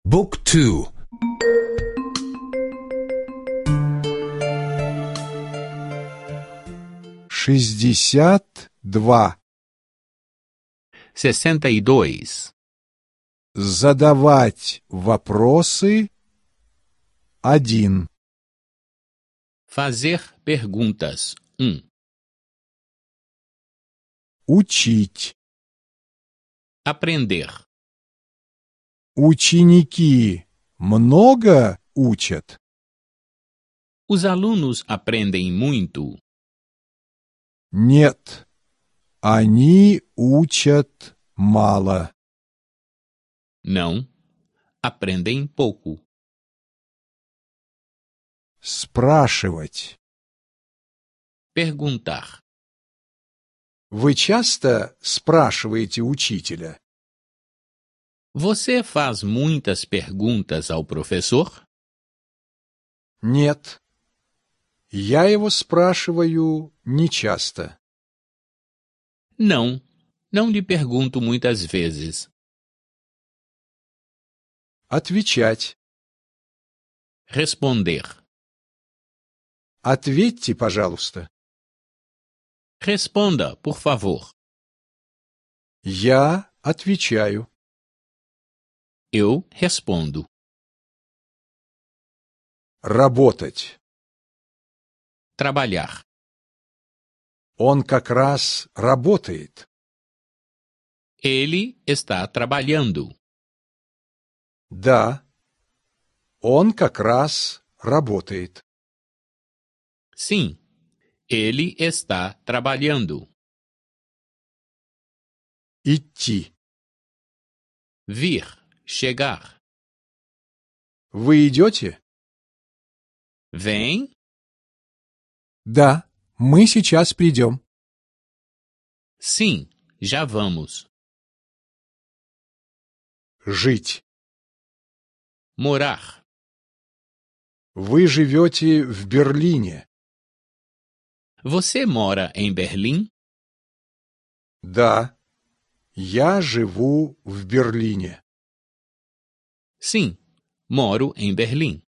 Book 2. 62. 62. Задавать вопросы. 1. Fazer perguntas. 1. Учить. Aprender. Ученики много учат? Os alunos aprendem muito? Нет, они учат мало. Não, aprendem pouco. Спрашивать. Perguntar. Вы часто спрашиваете учителя? Você faz muitas perguntas ao professor? Нет. Я его спрашиваю нечасто. Não, não lhe pergunto muitas vezes. Отвечать. Responder. Ответьте, пожалуйста. Responda, por favor. Я отвечаю. Eu respondo. Работать. Trabalhar. Он как раз работает. Ele está trabalhando. Да, он как раз работает. Sim, ele está trabalhando. Идти. Vir, chegar. Вы идете? Vem? Да, мы сейчас придем. Sim, já vamos. Жить. Morar. Вы живете в Берлине. Você mora em Berlim? Да, я живу в Берлине. Sim, moro em Berlim.